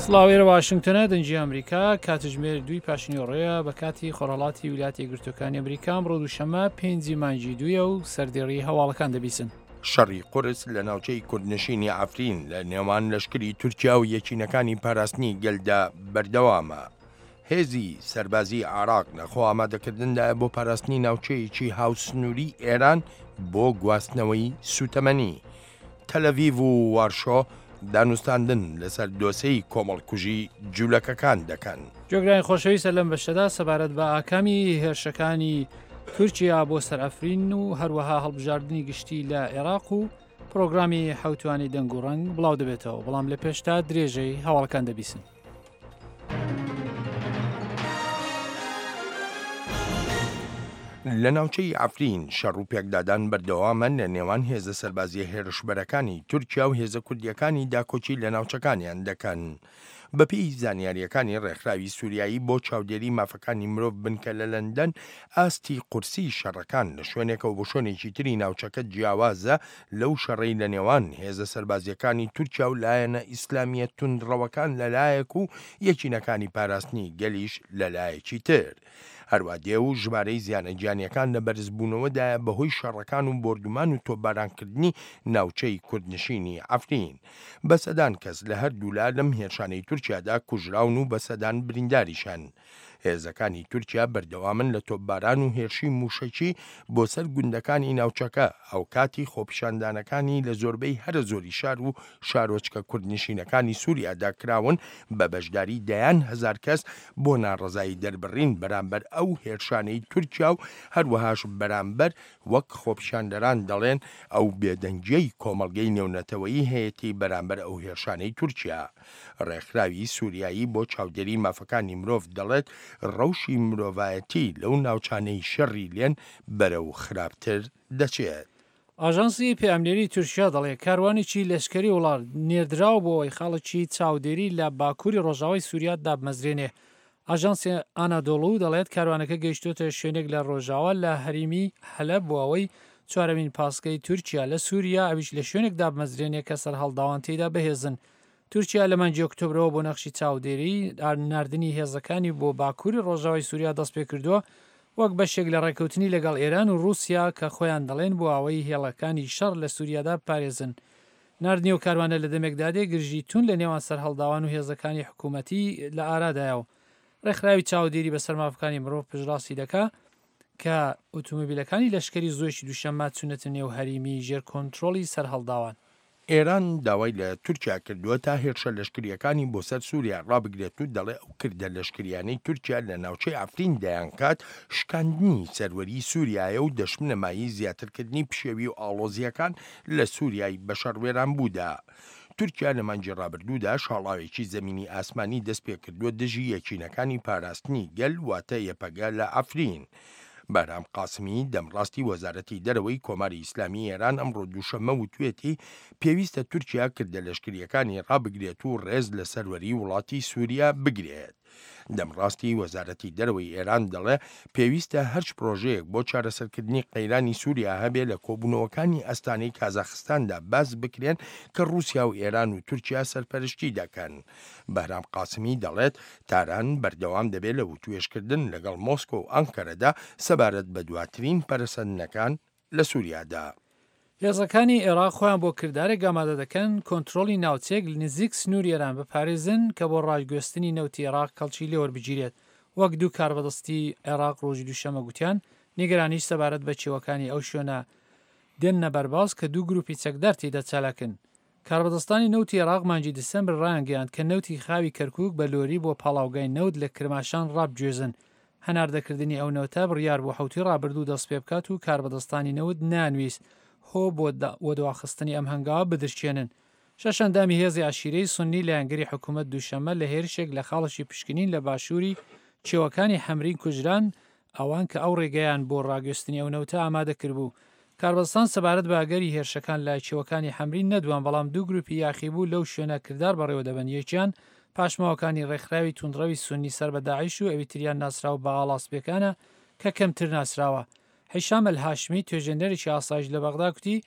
سڵاو ئێرە واشنگتۆنە دەنگی ئەمریکا کاتژمێر دووی پاشنیۆڕەیە بە کاتی خۆرهەڵاتی ویلایەتە یەکگرتووەکانی ئەمریکا ئەمڕۆ دووشەممە پێنجی مانگی دوویە و سەردێڕی هەواڵەکان دەبیسن. شەڕی قورس لە ناوچەی کوردنشینی عەفرین لە نێوان لەشکری تورکیا و یەکینەکانی پاراستنی گەلدا بەردەوامە. هێزی سەربازیی عێراق لە خۆئامادەکردندایە بۆ پاراستنی ناوچەیەکی هاوسنووری ئێران بۆ گواستنەوەی سووتەمەنی. تەلەڤیڤ و وارشۆ دانوستاندن لەسەر دۆسێی کۆمەڵکوژی جوولەکەکان دەکەن. گوێگرانی خۆشەویست لەم بەشەدا سەبارەت بە ئاکامی هێرشەکانی تورکیا بۆ سەر ئەفرین و هەروەها هەڵبژاردنی گشتی لە عێراق و پرۆگرامی حەوتوانی دەنگ و ڕەنگ بڵاو دەبێتەوە بەڵام لە پێشتا درێژەی هەواڵەکان دەبیسن. لە ناوچەی عەفرین شەڕ و پێکدادان بەردەوامە لە نێوان هێزە سەربازیە هێرشبەرەکانی تورکیا و هێزە کوردیەکانی داکۆکی لە ناوچەکانیان دەکەن. بەپێی زانیارییەکانی ڕێکخراوی سوریایی بۆ چاودێری مافەکانی مرۆڤ بنکە لە لەندەن، ئاستی قورسیی شەڕەکان لە شوێنێکەوە بۆ شوێنێکی تری ناوچەکە جیاوازە لەو شەڕەی لە نێوان هێزە سەربازییەکانی تورکیا و لایەنە ئیسلامییە توندڕەوەکان لە لایەک و یەکینەکانی پاراستنی گەلیش لە لایەکی تر. هەروا دێ و ژمارەی زیانە گیانییەکان لە بەرزبوونەوەدایە بەهۆی شەڕەکان و بۆردومان و تۆپبارانکردنی ناوچەی کوردنشینی عەفرین. بە سەدان کەس لە هەردوولا لەم هێرشانەی تورکیادا کوژراون و بە سەدان برینداریش هەن. هێزەکانی تورکیا بەردەوامن لە تۆپباران و هێرشی مووشەکی بۆ سەر گوندەکانی ناوچەکە، هاوکاتی خۆپیشاندانەکانی لە زۆربەی هەرە زۆری شار و شارۆچکە کوردنشینەکانی سوریادا کراون بە بەشداری دەیان هەزار کەس بۆ ناڕەزایی دەربڕین بەرامبەر ئەو هێرشانەی تورکیا و هەروەهاش بەرامبەر وەک خۆپیشاندەران دەڵێن ئەو بێدەنگیەی کۆمەڵگەی نێونەتەوەیی هەیەتی بەرامبەر ئەو هێرشانەی تورکیا. ڕێکخراوی سوریایی بۆ چاودێری مافەکانی مرۆڤ دەڵێت ڕەوشی مرۆڤایەتی لەو ناوچانەی شەڕی لێن بەرەو خراپتر دەچێت. ئاژانسی پەیامنێری تورکیا دەڵێ کاروانێکی لەشکری وڵات نێردراوە بۆ ئەوەی خاڵێکی چاودێری لە باکووری ڕۆژاوای سووریا دابمەزرێنێ. ئاژانسی ئانادۆڵو دەڵێت کاروانەکە گەیشتۆتە شوێنێک لە ڕۆژاوا لە هەریمی حەلەب بۆ ئەوەی چوارەمین پاسگەی تورکیا لە سووریا ئەویش لە شوێنێک دابمەزرێنێ کە سەرهەڵداوان تێیدا بەهێزن. تورکیا لە مانگی ئۆکتۆبرەوە بۆ نەخشی چاودێری ناردنی هێزەکانی بۆ باکووری ڕۆژاوای سووریا دەستپێکردووە وەک بەشێک لە ڕێککەوتنی لەگەڵ ئێران و ڕووسیا کە خۆیان دەڵێن بۆ ئەوەی هێڵەکانی شەڕ لە سووریادا بپارێزن. ناردنی ئەو کاروانە لە دەمێکدا دێ گرژی توند لە نێوان سەرهەڵداوان و هێزەکانی حکوومەتی لە ئارادایە و ڕێکخراوی چاودێری بەسەر مافەکانی مرۆڤ پشتڕاستی دەکا کە ئوتومبیلەکانی لەشکری زۆیی دووشەممە چوونەتە نێو هەریمی ژێر کۆنترۆڵی سەرهەڵداوان. ئێران داوای لە تورکیا کردووە تا هێرشە لەشکرییەکانی بۆ سەر سووریا ڕابگرێت و دەڵێ ئەو کردە لەشکرییانەی تورکیا لە ناوچەی عەفرین دەیانکات شکاندنی سەروەریی سووریایە و دەشبنە مایەی زیاترکردنی پشێوی و ئاڵۆزییەکان لە سووریای بەشەڕ وێرانبوودا. تورکیا لە مانگی ڕابردوودا شاڵاوێکی زەمینی ئاسمانی دەستپێکردووە دژی یەکینەکانی پاراستنی گەل واتە یەپەگە لە عەفرین. بەهرام قاسمی، دەمڕاستی وەزارەتی دەرەوەی کۆماری ئیسلامی ئێران ئەمڕۆ دووشەممە وتوێتی، پێویستە تورکیا کردە لەشکرییەکانی ڕابگرێت و ڕێز لە سەروەری وڵاتی سوریا بگرێت. دەمڕاستی وەزارەتی دەرەوەی ئێران دەڵێ، پێویستە هەرچ پرۆژەیەک بۆ چارەسەرکردنی قەیرانی سوریا هەبێ لە کۆبوونەوەکانی ئەستانەی کازاخستاندا باس بکرێن کە ڕووسیا و ئێران و تورکیا سەرپەرشتی دەکەن. بەهرام قاسمی دەڵێت، تاران بەردەوام دەبێت لە وتوێژکردن لەگەڵ مۆسکۆ و ئەنکەرەدا سەبارەت بە دواترین پەرەسەندنەکان لە سوریادا. هێزەکانی عێراق خۆیان بۆ کردارێک ئامادە دەکەن کۆنترۆڵی ناوچەیەک نزیک سنووری ئێران بپارێزن کە بۆ ڕاگوێستنی نەوتی عێراق کەڵکی لێوەربگیرێت، وەک دوو کاربەدەستی عێراق ڕۆژی دووشەممە گوتیان، نیگەرانیش سەبارەت بە کێوەکانی ئەو شوێنە دێننە بەرباس کە دوو گرووپی چەکدار تێیدا چالاکن. کاربەدەستانی نەوتی عێراق مانگی دیسەمبر ڕایانگەیاند کە نەوتی خاوی کەرکوک بە لۆری بۆ پاڵاوگای نەوت لە کرماشان ڕابگوێزن. هەناردەکردنی ئەو نەوتە بڕیار بوو حەوتووی ڕابردوو دەستپێبکات و کاربەدەستانی نەوت نەیانویست هۆ بۆ وەدواخستنی ئەم هەنگاوە بدرکێنن. شەش ئەندامی هێزی عەشیرەی سوننی لایەنگری حکومەت دووشەممە لە هێرشێک لە خاڵێکی پشکنین لە باشووری کێوەکانی حەمرین کوژران، ئەوان کە ئەو ڕێگەیان بۆ ڕاگوێستنی ئەو نەوتە ئامادە کردبوو. کاربەدەستان سەبارەت بە ئەگەری هێرشەکان لە کێوەکانی حەمرین نەدوان، بەڵام دوو گروپی یاخیبوو لەو شوێنە کردار بەڕێوە دەبەن، یەکیان پاشماوەکانی ڕێکخراوی توندڕەوی سوننی سەر بە داعش و ئەوی تریان ناسراو بە ئاڵا سپیەکانە کە کەمتر ناسراوە. حیشام ئەلهاشمی، توێژێنەرێکی ئاسایش لە بەغدا کوتی،